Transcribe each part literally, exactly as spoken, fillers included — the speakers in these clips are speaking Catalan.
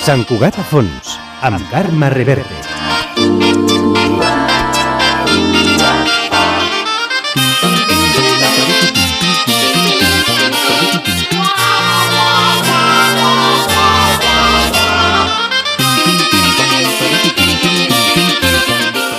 Sant Cugat a fons, amb Carme Reverte.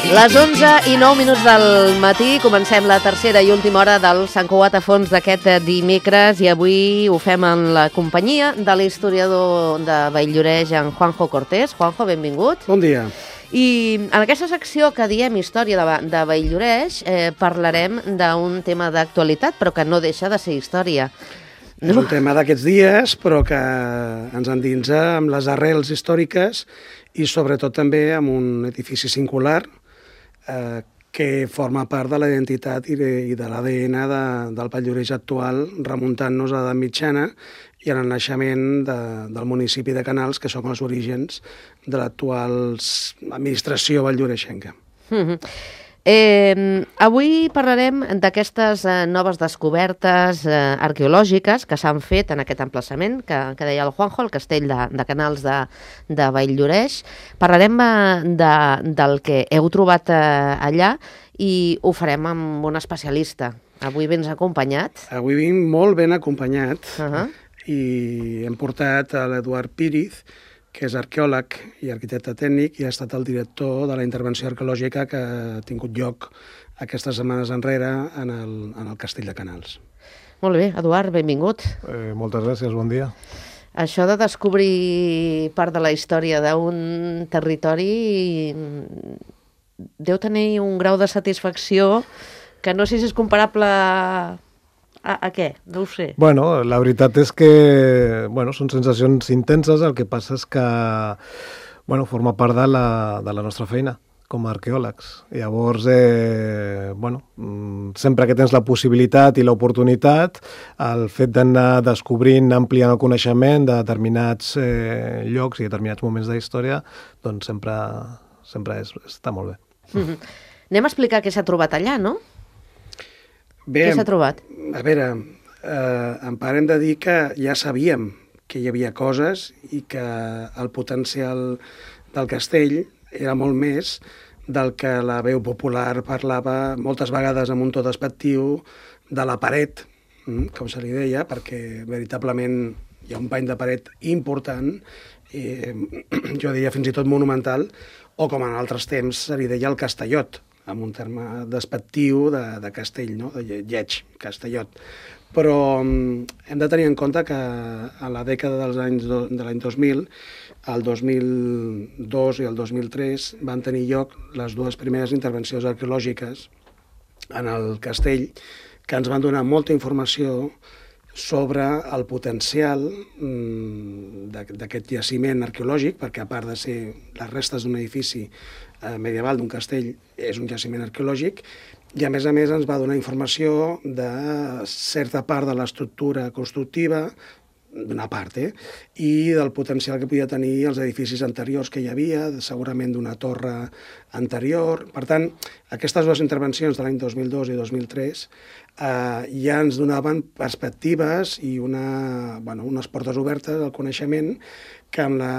Les onze i nou minuts del matí comencem la tercera i última hora del Sant Cugat a fons d'aquest dimecres i avui ho fem en la companyia de l'historiador de Vall-lloreix, en Juanjo Cortés. Juanjo, benvingut. Bon dia. I en aquesta secció que diem Història de, de Vall-lloreix eh, parlarem d'un tema d'actualitat, però que no deixa de ser història. No? És un tema d'aquests dies, però que ens endinsa amb les arrels històriques i sobretot també amb un edifici singular eh, que forma part de la identitat i de, i de l'A D N de, del Vall-lloreix actual, remuntant-nos a l'edat mitjana i en el naixement de, del municipi de Canals, que són els orígens de l'actual administració vall-lloreixenca. Mm-hmm. Eh, avui parlarem d'aquestes eh, noves descobertes eh, arqueològiques que s'han fet en aquest emplaçament que, que deia el Juanjo, el castell de, de Canals de, de Vall-lloreix. Parlarem eh, de, del que heu trobat eh, allà i ho farem amb un especialista. Avui vens acompanyat? Avui vinc molt ben acompanyat uh-huh. i hem portat a l'Eduard Píriz, que és arqueòleg i arquitecte tècnic i ha estat el director de la intervenció arqueològica que ha tingut lloc aquestes setmanes enrere en el, en el castell de Canals. Molt bé, Eduard, benvingut. Eh, moltes gràcies, bon dia. Això de descobrir part de la història d'un territori deu tenir un grau de satisfacció que no sé si és comparable a... A, a què? No ho sé. Bueno, la veritat és que bueno, són sensacions intenses, el que passa és que bueno, forma part de la, de la nostra feina com a arqueòlegs. Llavors, eh, bueno, sempre que tens la possibilitat i l'oportunitat, el fet d'anar descobrint, ampliant el coneixement de determinats eh, llocs i determinats moments de història, doncs sempre, sempre és, està molt bé. Mm-hmm. Anem a explicar què s'ha trobat allà, no? Bé, què s'ha trobat? A veure, eh, em parem de dir que ja sabíem que hi havia coses i que el potencial del castell era molt més del que la veu popular parlava moltes vegades amb un to despectiu de la paret, com se li deia, perquè veritablement hi ha un pany de paret important, eh, jo diria fins i tot monumental, o com en altres temps se li deia el Castellot, amb un terme despectiu de, de castell, no? De lleig, Castellot. Però um, hem de tenir en compte que a la dècada dels anys do, de l'any dos mil, el dos mil dos i el dos mil tres van tenir lloc les dues primeres intervencions arqueològiques en el castell que ens van donar molta informació sobre el potencial um, d'aquest jaciment arqueològic, perquè a part de ser les restes d'un edifici eh, medieval, d'un castell, és un jaciment arqueològic, i a més a més ens va donar informació de certa part de l'estructura constructiva, d'una part, eh? I del potencial que podia tenir els edificis anteriors que hi havia, segurament d'una torre anterior. Per tant, aquestes dues intervencions de l'any dos mil dos i dos mil tres eh, ja ens donaven perspectives i una, bueno, unes portes obertes al coneixement que amb la,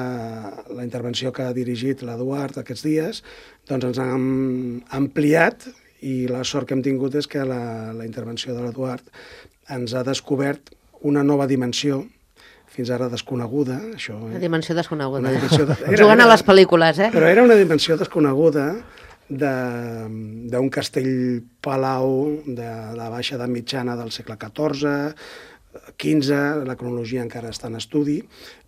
la intervenció que ha dirigit l'Eduard aquests dies doncs ens han ampliat i la sort que hem tingut és que la, la intervenció de l'Eduard ens ha descobert una nova dimensió fins ara desconeguda. Això, eh? Una dimensió desconeguda. Una dimensió de... era, Jugant era, a les pel·lícules, eh? Però era una dimensió desconeguda d'un castell-palau de la baixa edat mitjana del segle catorze, quinze, la cronologia encara està en estudi,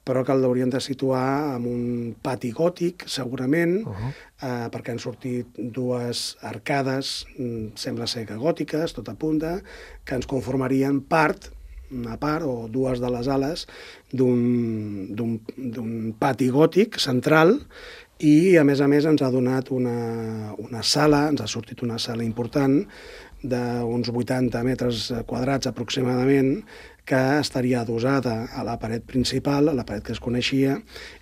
però que l'haurien de situar en un pati gòtic, segurament, uh-huh. eh, perquè han sortit dues arcades, sembla ser que gòtiques, tot apunta, que ens conformarien part, una part o dues de les ales d'un pati gòtic central i, a més a més, ens ha donat una, una sala, ens ha sortit una sala important d'uns vuitanta metres quadrats aproximadament, que estaria adosada a la paret principal, a la paret que es coneixia,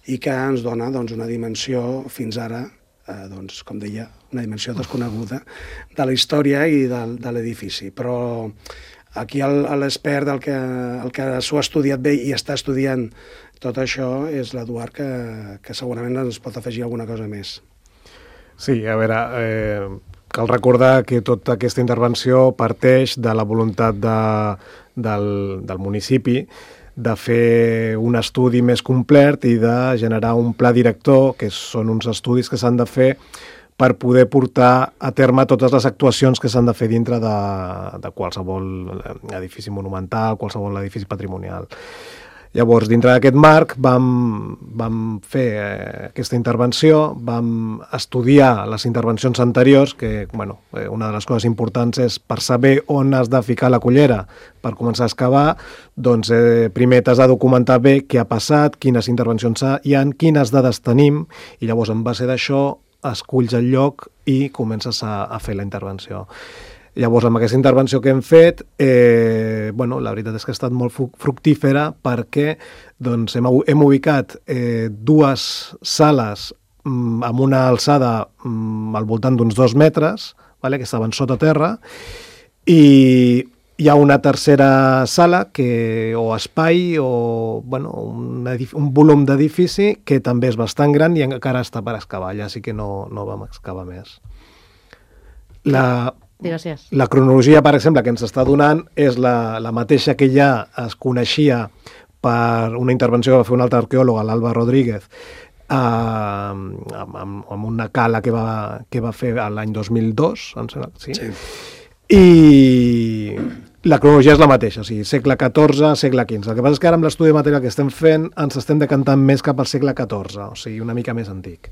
i que ens dona doncs, una dimensió fins ara, eh, doncs, com deia, una dimensió desconeguda de la història i de, de l'edifici. Però Aquí l'expert, el que, el que s'ho ha estudiat bé i està estudiant tot això, és l'Eduard, que, que segurament ens pot afegir alguna cosa més. Sí, a veure, eh, cal recordar que tota aquesta intervenció parteix de la voluntat de, del, del municipi de fer un estudi més complet i de generar un pla director, que són uns estudis que s'han de fer per poder portar a terme totes les actuacions que s'han de fer dintre de, de qualsevol edifici monumental, qualsevol edifici patrimonial. Llavors, dintre d'aquest marc, vam, vam fer eh, aquesta intervenció, vam estudiar les intervencions anteriors, que bueno, eh, una de les coses importants és per saber on has de ficar la cullera per començar a excavar, doncs eh, primer t'has de documentar bé què ha passat, quines intervencions hi ha, quines dades tenim, i llavors en base d'això esculls el lloc i comences a, a fer la intervenció. Llavors, amb aquesta intervenció que hem fet, eh, bueno, la veritat és que ha estat molt fructífera perquè doncs, hem, hem ubicat eh, dues sales mm, amb una alçada mm, al voltant d'uns dos metres, vale, que estaven sota terra, i hi ha una tercera sala que, o espai o bueno, un, un volum d'edifici que també és bastant gran i encara està per excavar, ja sí que no, no vam excavar més. La... Gràcies. La cronologia, per exemple, que ens està donant és la, la mateixa que ja es coneixia per una intervenció que va fer un altre arqueòleg, l'Alba Rodríguez, eh, amb, amb, amb una cala que va, que va fer l'any dos mil dos, em sembla, sí? Sí. I la cronologia és la mateixa, o sigui, segle catorze, segle quinze. El que passa és que ara amb l'estudi de material que estem fent ens estem decantant més cap al segle catorze, o sigui, una mica més antic.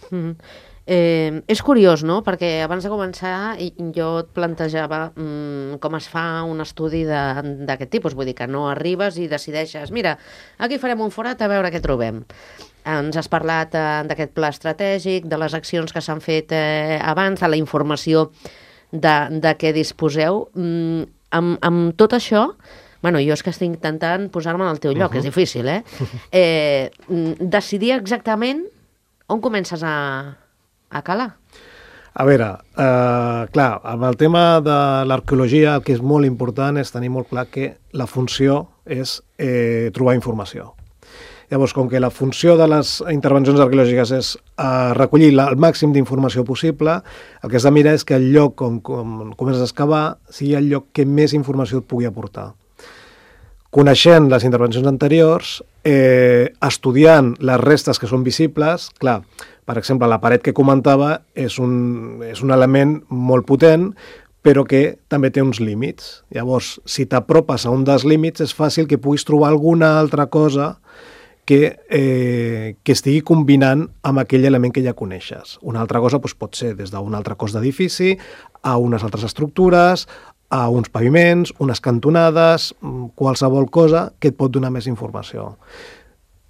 Mm-hmm. Eh, és curiós, no?, perquè abans de començar jo et plantejava mm, com es fa un estudi d'aquest tipus, vull dir que no arribes i decideixes, mira, aquí farem un forat a veure què trobem. Ens has parlat eh, d'aquest pla estratègic, de les accions que s'han fet eh, abans, de la informació de, de què disposeu. Mm, amb, amb tot això, bueno, jo és que estic intentant posar-me en el teu lloc, uh-huh. És difícil, eh? eh? Decidir exactament on comences a... a calar? A veure, eh, clar, amb el tema de l'arqueologia el que és molt important és tenir molt clar que la funció és eh, trobar informació. Llavors, com que la funció de les intervencions arqueològiques és eh, recollir la, el màxim d'informació possible, el que has de mirar és que el lloc on, on comences a excavar sigui el lloc que més informació et pugui aportar. Coneixent les intervencions anteriors, eh, estudiant les restes que són visibles, clar, per exemple, la paret que comentava és un, és un element molt potent, però que també té uns límits. Llavors, si t'apropes a un dels límits, és fàcil que puguis trobar alguna altra cosa que, eh, que estigui combinant amb aquell element que ja coneixes. Una altra cosa doncs, pot ser des d'un altre cos d'edifici a unes altres estructures, a uns paviments, unes cantonades, qualsevol cosa que et pot donar més informació.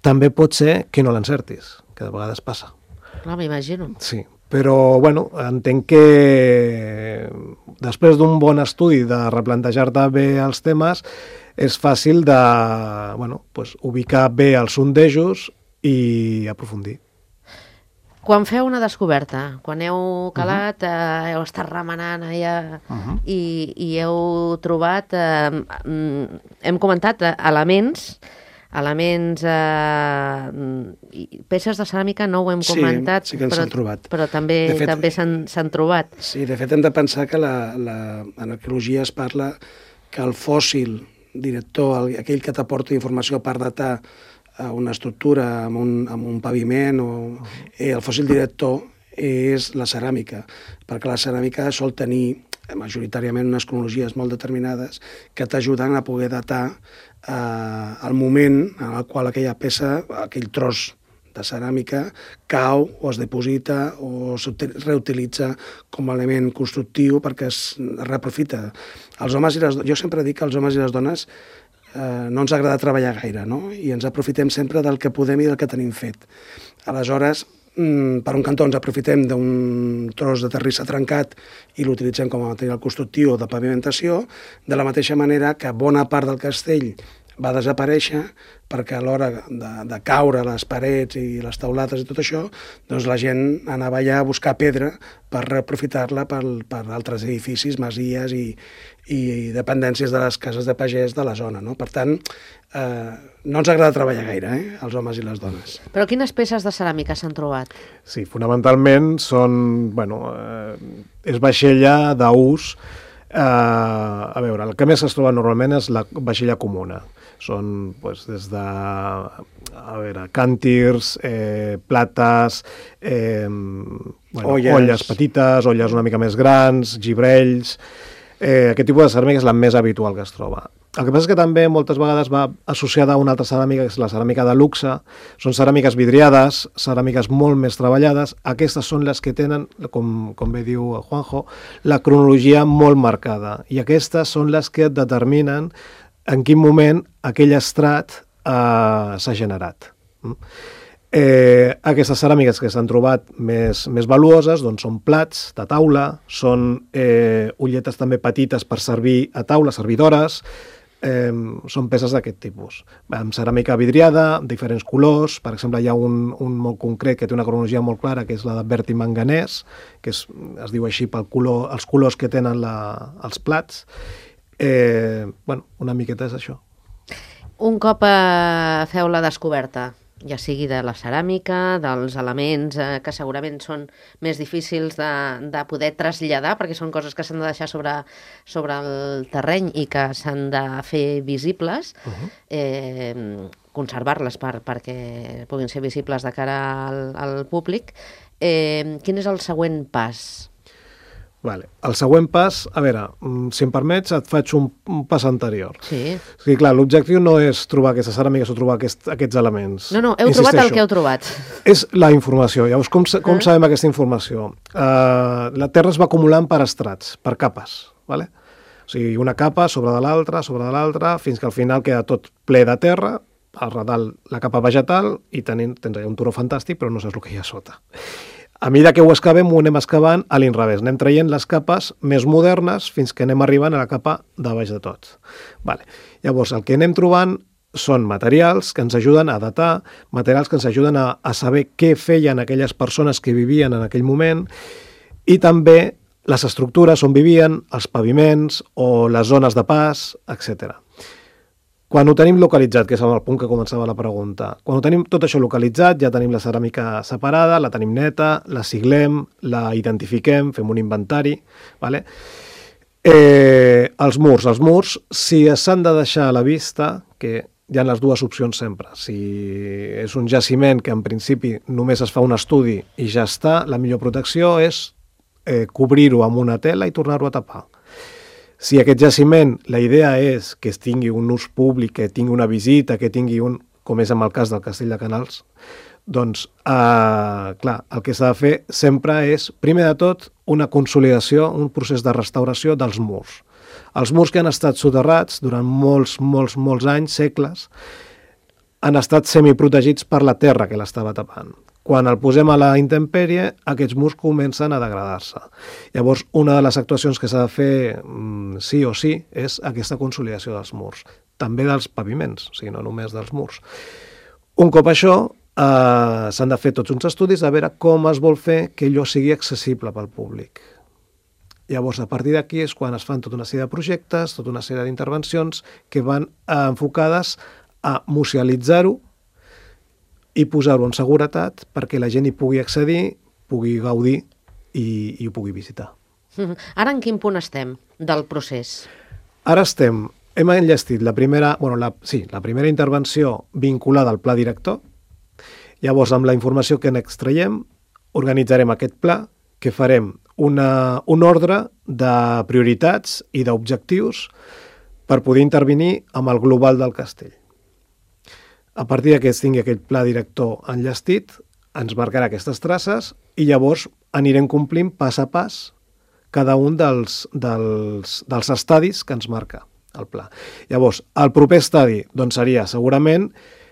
També pot ser que no l'encertis, que de vegades passa. Clar, m'imagino. Sí, però bueno, entenc que després d'un bon estudi de replantejar-te bé els temes és fàcil de bueno, pues, ubicar bé els sondejos i aprofundir. Quan feu una descoberta, quan heu calat, uh-huh. eh, heu estat remenant allà uh-huh. i, i heu trobat, eh, hem comentat, eh, elements, elements, eh, peces de ceràmica no ho hem comentat, sí, sí que ens però, han trobat. Però també, fet, també s'han trobat. Sí, de fet hem de pensar que la, la, en arqueologia es parla que el fòssil director, el, aquell que t'aporta informació per datar una estructura amb un, amb un paviment, o, eh, el fòssil director és la ceràmica, perquè la ceràmica sol tenir majoritàriament unes cronologies molt determinades que t'ajuden a poder datar eh, el moment en el qual aquella peça, aquell tros de ceràmica, cau o es deposita o es reutilitza com a element constructiu perquè es reaprofita. Els homes i les, jo sempre dic que els homes i les dones eh, no ens agrada treballar gaire, no? I ens aprofitem sempre del que podem i del que tenim fet. Aleshores, per un cantó ens aprofitem d'un tros de terrissa trencat i l'utilitzem com a material constructiu o de pavimentació, de la mateixa manera que bona part del castell va desaparèixer perquè a l'hora de, de caure les parets i les taulates i tot això, doncs la gent anava allà a buscar pedra per reaprofitar-la per, per altres edificis, masies i, i dependències de les cases de pagès de la zona, no? Per tant, eh, no ens agrada treballar gaire, eh, els homes i les dones. Però quines peces de ceràmica s'han trobat? Sí, fonamentalment són, bueno, eh, és vaixella d'ús. Uh, a veure, el que més es troba normalment és la vaixella comuna. Són pues, des de a veure, càntirs, eh, plates, eh, bueno, olles. olles petites, olles una mica més grans, gibrells... Eh, aquest tipus de ceràmica és la més habitual que es troba. El que passa és que també moltes vegades va associada a una altra ceràmica, que és la ceràmica de luxe. Són ceràmiques vidriades, ceràmiques molt més treballades. Aquestes són les que tenen, com, com bé diu Juanjo, la cronologia molt marcada. I aquestes són les que determinen en quin moment aquell estrat eh, s'ha generat. Eh, aquestes ceràmiques que s'han trobat més, més valuoses doncs són plats de taula, són eh, ulletes també petites per servir a taula, servidores, eh, són peces d'aquest tipus. Amb ceràmica vidriada, diferents colors, per exemple hi ha un, un molt concret que té una cronologia molt clara, que és la de berti manganès, que és, es diu així pel color, els colors que tenen la, els plats. Eh, bueno, una miqueta és això. Un cop eh, feu la descoberta, ja sigui de la ceràmica, dels elements eh, que segurament són més difícils de, de poder traslladar, perquè són coses que s'han de deixar sobre, sobre el terreny i que s'han de fer visibles, uh-huh. eh, conservar-les per, perquè puguin ser visibles de cara al, al públic. Eh, quin és el següent pas? Vale. El següent pas, a veure, si em permets, et faig un, un pas anterior. Sí. Sí, clar, l'objectiu no és trobar aquestes ceràmiques o trobar aquest, aquests elements. No, no, heu Insisteixo, trobat el que heu trobat. És la informació. Llavors, com, com ah. sabem aquesta informació? Uh, la Terra es va acumulant per estrats, per capes, vale? O sigui, una capa sobre de l'altra, sobre de l'altra, fins que al final queda tot ple de terra, al redalt la capa vegetal, i tenim, tens allà un turó fantàstic, però no saps el que hi ha sota. A mesura que ho excavem, ho anem excavant a l'inrevés. Anem traient les capes més modernes fins que anem arribant a la capa de baix de tot. Vale. Llavors, el que anem trobant són materials que ens ajuden a datar, materials que ens ajuden a, a saber què feien aquelles persones que vivien en aquell moment i també les estructures on vivien, els paviments o les zones de pas, etcètera. Quan ho tenim localitzat, que és el punt que començava la pregunta, quan ho tenim tot això localitzat, ja tenim la ceràmica separada, la tenim neta, la siglem, la identifiquem, fem un inventari, vale? Eh, els murs, els murs, si s'han de deixar a la vista, que hi ha les dues opcions sempre, si és un jaciment que en principi només es fa un estudi i ja està, la millor protecció és eh, cobrir-ho amb una tela i tornar-ho a tapar. Si aquest jaciment, la idea és que es tingui un ús públic, que tingui una visita, que tingui un, com és en el cas del Castell de Canals, doncs, eh, clar, el que s'ha de fer sempre és, primer de tot, una consolidació, un procés de restauració dels murs. Els murs que han estat soterrats durant molts, molts, molts anys, segles, han estat semiprotegits per la terra que l'estava tapant. Quan el posem a la intempèrie, aquests murs comencen a degradar-se. Llavors, una de les actuacions que s'ha de fer mm, sí o sí és aquesta consolidació dels murs. També dels paviments, o sigui, no només dels murs. Un cop això, eh, s'han de fer tots uns estudis a veure com es vol fer que allò sigui accessible pel públic. Llavors, a partir d'aquí és quan es fan tota una sèrie de projectes, tota una sèrie d'intervencions que van eh, enfocades a musealitzar-ho i posar-ho en seguretat perquè la gent hi pugui accedir, pugui gaudir i, i ho pugui visitar. Ara en quin punt estem del procés? Ara estem, hem enllestit la primera, bueno, la, sí, la primera intervenció vinculada al pla director. Llavors, amb la informació que n'extraiem, organitzarem aquest pla, que farem una, un ordre de prioritats i d'objectius per poder intervenir amb el global del castell. A partir que es tingui aquell pla director enllestit, ens marcarà aquestes traces i llavors anirem complint pas a pas cada un dels, dels, dels estadis que ens marca el pla. Llavors, el proper estadi doncs, seria segurament,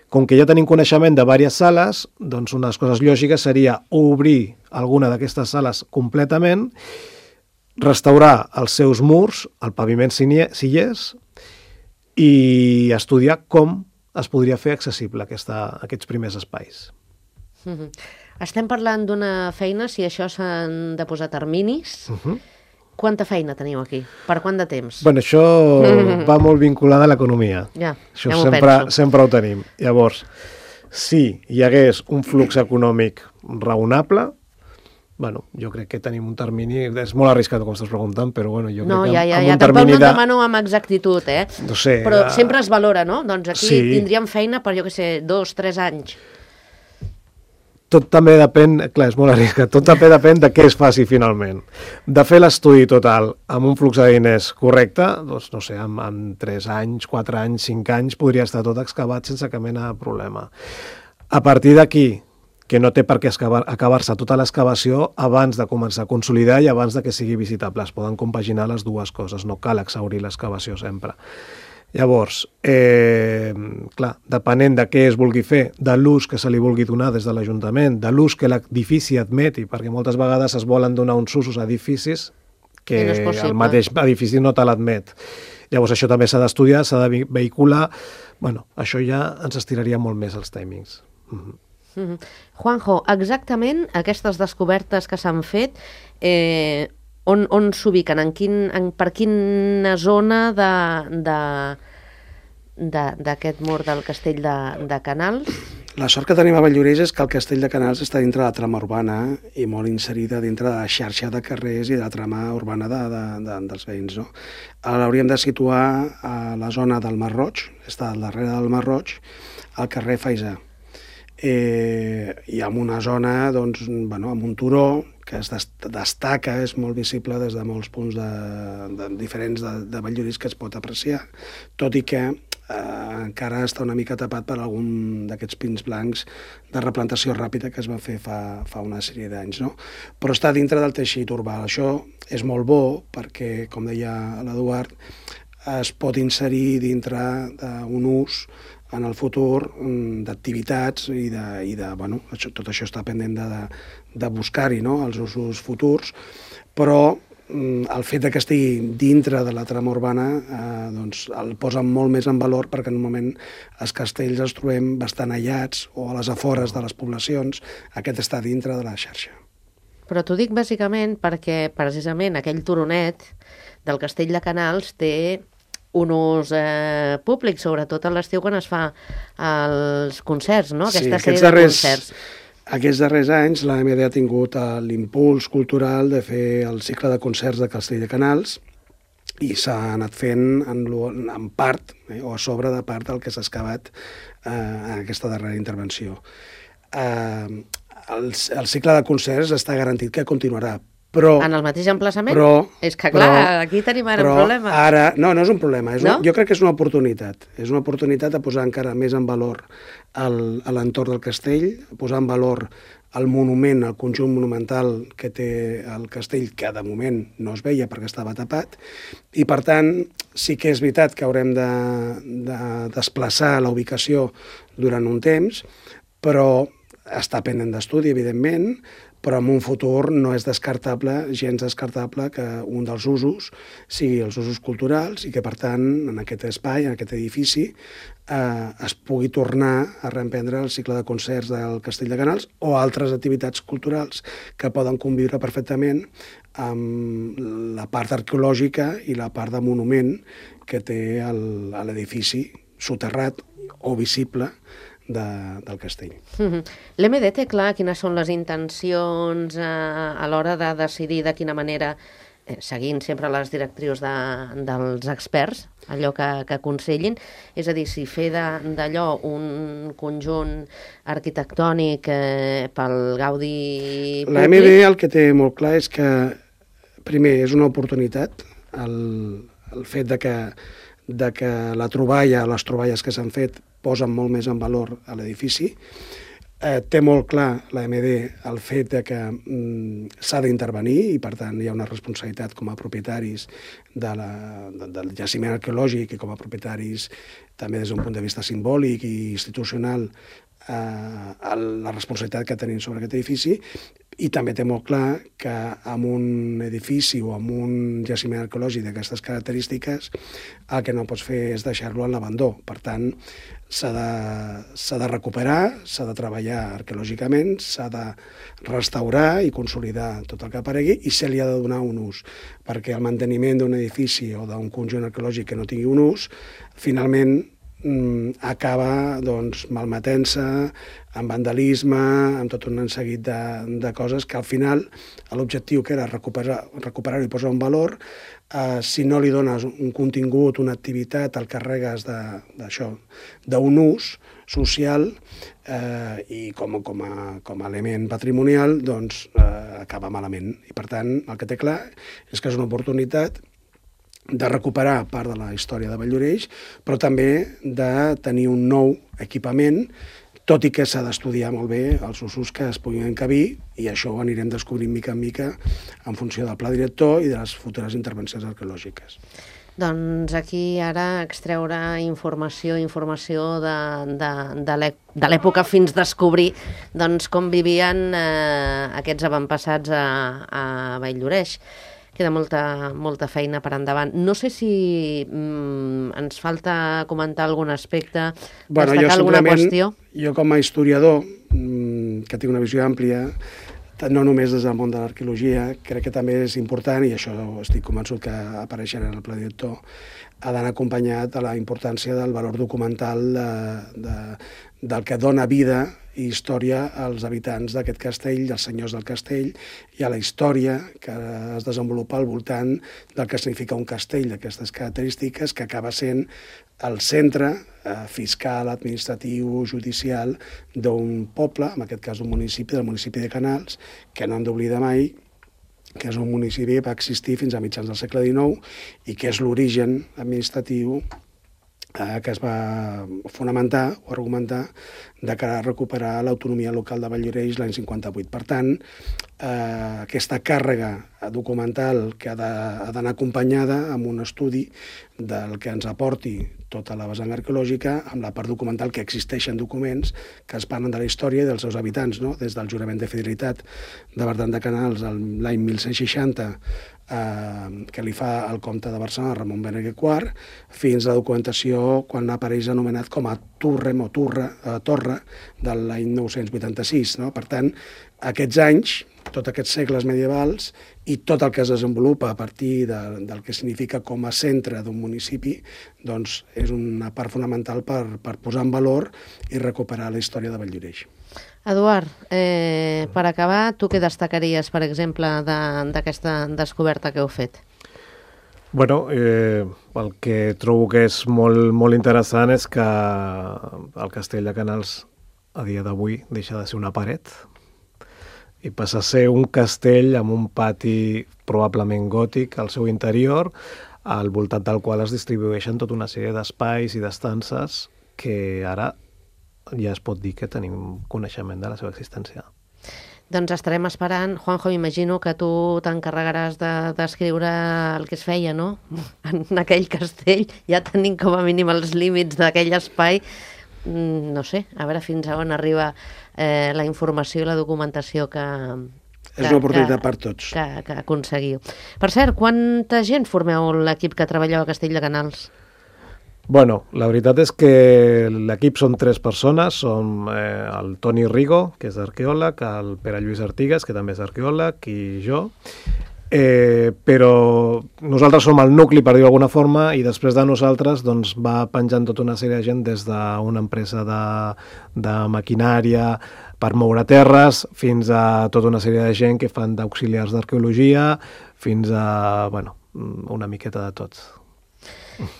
com que ja tenim coneixement de diverses sales, doncs unes coses lògiques seria obrir alguna d'aquestes sales completament, restaurar els seus murs, el paviment si hi és, i estudiar com es podria fer accessible aquesta, aquests primers espais. Uh-huh. Estem parlant d'una feina, si això s'han de posar terminis, uh-huh. Quanta feina teniu aquí? Per quant de temps? Bueno, això va molt vinculada a l'economia. Ja, això ja m'ho sempre, penso. sempre ho tenim. Llavors, si hi hagués un flux econòmic raonable, bueno, jo crec que tenim un termini, és molt arriscat com estàs preguntant, però bueno, jo no, crec que ja, ja, amb ja, un tampoc termini no et de... demano amb exactitud, eh? No sé, però uh... sempre es valora, no? Doncs aquí sí. Tindríem feina per, jo què sé, dos, tres anys. Tot també depèn, clar, és molt arriscat, tot també depèn de què es faci finalment. De fer l'estudi total amb un flux de diners correcte, doncs no sé, amb, amb tres anys, quatre anys, cinc anys, podria estar tot excavat sense cap mena de problema. A partir d'aquí, que no té per què acabar-se tota l'excavació abans de començar a consolidar i abans de que sigui visitable. Es poden compaginar les dues coses, no cal exhaurir l'excavació sempre. Llavors, eh, clar, depenent de què es vulgui fer, de l'ús que se li vulgui donar des de l'Ajuntament, de l'ús que l'edifici admeti, perquè moltes vegades es volen donar uns usos a edificis que no el mateix edifici no te l'admet. Llavors això també s'ha d'estudiar, s'ha de vehicular. Bueno, això ja ens estiraria molt més els timings. Mm-hmm. Mm-hmm. Juanjo, exactament aquestes descobertes que s'han fet, eh, on, on s'ubiquen? En quin, en, per quina zona d'aquest mur del castell de, de Canals? La sort que tenim a Valldoreix és que el castell de Canals està dintre de la trama urbana i molt inserida dintre de la xarxa de carrers i de la trama urbana de, de, de, dels veïns. No? L'hauríem de situar a la zona del Mar Roig, està al darrere del Mar Roig, al carrer Faisà. Eh, i amb una zona, doncs, bueno, amb un turó que es destaca, és molt visible des de molts punts de, de, diferents de, de Valldoreix que es pot apreciar, tot i que eh, encara està una mica tapat per algun d'aquests pins blancs de replantació ràpida que es va fer fa, fa una sèrie d'anys. No? Però està dintre del teixit urbà. Això és molt bo perquè, com deia l'Eduard, es pot inserir dintre d'un ús en el futur d'activitats i de, i de bueno, això, tot això està pendent de, de, de buscar-hi, no?, els usos futurs, però el fet de que estigui dintre de la trama urbana eh, doncs el posa molt més en valor perquè normalment els castells els trobem bastant aïllats o a les afores de les poblacions, aquest està dintre de la xarxa. Però t'ho dic bàsicament perquè precisament aquell turonet del castell de Canals té un ús eh, públic, sobretot a l'estiu quan es fa els concerts, no? Aquesta sí, sèrie darrers, de concerts. Aquests darrers anys l'A M D ha tingut l'impuls cultural de fer el cicle de concerts de Castell de Canals i s'ha anat fent en, en part, eh, o a sobre de part del que s'ha excavat eh, en aquesta darrera intervenció. Eh, el, el cicle de concerts està garantit que continuarà, però... En el mateix emplaçament? Però, és que, clar, però, aquí tenim ara però un problema. Ara, no, no és un problema. És no? una, jo crec que és una oportunitat. És una oportunitat de posar encara més en valor l'entorn del castell, posar en valor el monument, el conjunt monumental que té el castell, que de moment no es veia perquè estava tapat, i per tant sí que és veritat que haurem de, de desplaçar la ubicació durant un temps, però està pendent d'estudi, evidentment, però en un futur no és descartable, gens descartable, que un dels usos sigui els usos culturals i que, per tant, en aquest espai, en aquest edifici, eh, es pugui tornar a reemprendre el cicle de concerts del Castell de Canals o altres activitats culturals que poden conviure perfectament amb la part arqueològica i la part de monument que té l'edifici soterrat o visible De, del castell. Mm-hmm. L'E M D té clar quines són les intencions eh, a l'hora de decidir de quina manera, eh, seguint sempre les directrius de, dels experts, allò que, que aconsellin, és a dir, si fer d'allò un conjunt arquitectònic eh, pel gaudi públic... L'A M D el que té molt clar és que, primer, és una oportunitat, el, el fet de que, de que la troballa, les troballes que s'han fet, posen molt més en valor a l'edifici. Eh, té molt clar l'A M D el fet de que mm, s'ha d'intervenir i, per tant, hi ha una responsabilitat com a propietaris de la, de, del jaciment arqueològic i com a propietaris també des d'un punt de vista simbòlic i institucional eh, la responsabilitat que tenim sobre aquest edifici, I també té molt clar que amb un edifici o amb un jaciment arqueològic d'aquestes característiques el que no pots fer és deixar-lo en l'abandó. Per tant, s'ha de, s'ha de recuperar, s'ha de treballar arqueològicament, s'ha de restaurar i consolidar tot el que aparegui i se li ha de donar un ús, perquè el manteniment d'un edifici o d'un conjunt arqueològic que no tingui un ús, finalment acaba doncs, malmetent-se, amb vandalisme, amb tot un seguit de, de coses que al final l'objectiu que era recuperar, recuperar-ho i posar un valor, eh, si no li dones un contingut, una activitat, el carregues d'això, d'un ús social eh, i com, com, a, com a element patrimonial, doncs eh, acaba malament. I per tant, el que té clar és que és una oportunitat de recuperar part de la història de Valldoreix, però també de tenir un nou equipament, tot i que s'ha d'estudiar molt bé els usos que es puguin encabir, i això ho anirem descobrint mica en mica en funció del pla director i de les futures intervencions arqueològiques. Doncs aquí ara extreure informació, informació de, de, de l'època fins descobrir doncs, com vivien eh, aquests avantpassats a, a Valldoreix. Queda molta, molta feina per endavant. No sé si mm, ens falta comentar algun aspecte, bueno, destacar alguna qüestió. Jo com a historiador, mm, que tinc una visió àmplia, no només des del món de l'arqueologia, crec que també és important, i això estic convençut que apareixerà en el pla director, ha d'anar acompanyat de la importància del valor documental de, de, del que dona vida i història als habitants d'aquest castell, als senyors del castell, i a la història que es desenvolupa al voltant del que significa un castell d'aquestes característiques, que acaba sent el centre eh, fiscal, administratiu, judicial d'un poble, en aquest cas d'un municipi, del municipi de Canals, que no hem d'oblidar mai que és un municipi que va existir fins a mitjans del segle dinou i que és l'origen administratiu eh, que es va fonamentar o argumentar de cara a recuperar l'autonomia local de Valldoreix l'any cinquanta-vuit. Per tant, eh, aquesta càrrega documental que ha d'anar acompanyada amb un estudi del que ens aporti tota la vessant arqueològica, amb la part documental que existeixen documents que es parlen de la història i dels seus habitants, no? Des del jurament de fidelitat de Bertran de Canals l'any mil cent seixanta, eh, que li fa el comte de Barcelona, Ramon Berenguer quart, fins a la documentació quan apareix anomenat com a Turrem o Turra, eh, Torre de l'any nou-cents vuitanta-sis. No? Per tant, aquests anys, tots aquests segles medievals i tot el que es desenvolupa a partir de, del que significa com a centre d'un municipi, doncs és una part fonamental per, per posar en valor i recuperar la història de Valldoreix. Eduard, eh, per acabar, tu què destacaries, per exemple, d'aquesta de, descoberta que heu fet? Bueno, eh, el que trobo que és molt, molt interessant és que el castell de Canals a dia d'avui deixa de ser una paret i passa a ser un castell amb un pati probablement gòtic al seu interior, al voltant del qual es distribueixen tota una sèrie d'espais i d'estances que ara ja es pot dir que tenim coneixement de la seva existència. Doncs estarem esperant. Juanjo, imagino que tu t'encarregaràs de descriure el que es feia, no? En aquell castell, ja tenim com a mínim els límits d'aquell espai. No sé, a veure fins a on arriba eh, la informació i la documentació que, que, és una oportunitat per tots. Que, que aconseguiu. Per cert, quanta gent formeu l'equip que treballeu a Castell de Canals? Bueno, la veritat és que l'equip són tres persones, som eh, el Toni Rigo, que és arqueòleg, el Pere Lluís Artigas, que també és arqueòleg, i jo. Eh, però nosaltres som el nucli, per dir-ho d'alguna forma, i després de nosaltres doncs, va penjant tota una sèrie de gent des d'una empresa de, de maquinària per moure terres fins a tota una sèrie de gent que fan d'auxiliars d'arqueologia fins a, bueno, una miqueta de tot.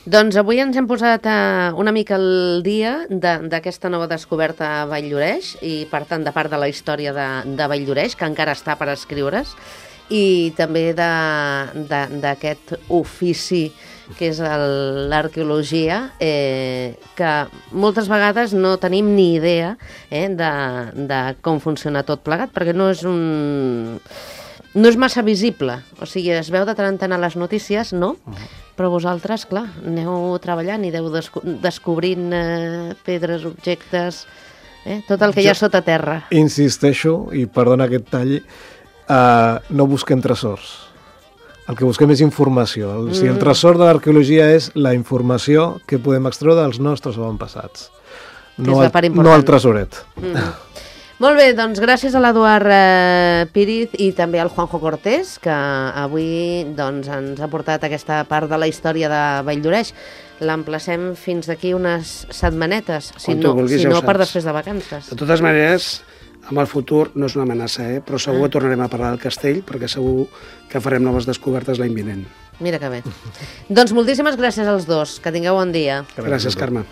Doncs avui ens hem posat una mica al dia d'aquesta nova descoberta a Valldoreix i, per tant, de part de la història de, de Valldoreix, que encara està per escriure's, i també d'aquest ofici que és l'arqueologia, eh, que moltes vegades no tenim ni idea eh, de, de com funciona tot plegat, perquè no és un... no és massa visible. O sigui, es veu de tant en tant a les notícies, no? Uh-huh. Però vosaltres, clar, aneu treballant i aneu desco- descobrint eh, pedres, objectes... Eh? Tot el que hi ha sota terra. Insisteixo, i perdona aquest tall, uh, no busquem tresors. El que busquem és informació. El, mm. Si el tresor de l'arqueologia és la informació que podem extreure dels nostres avantpassats. No, el, no el tresoret. Mm. Molt bé, doncs gràcies a l'Eduard eh, Píriz i també al Juanjo Cortés, que avui doncs, ens ha portat aquesta part de la història de Valldoreix. L'emplacem fins d'aquí unes setmanetes, si no, vulguis, si no ja per després de vacances. De totes maneres, amb el futur no és una amenaça, eh? Però segur ah. que tornarem a parlar del castell, perquè segur que farem noves descobertes l'any vinent. Mira que bé. Doncs moltíssimes gràcies als dos. Que tingueu bon dia. Gràcies, Carme.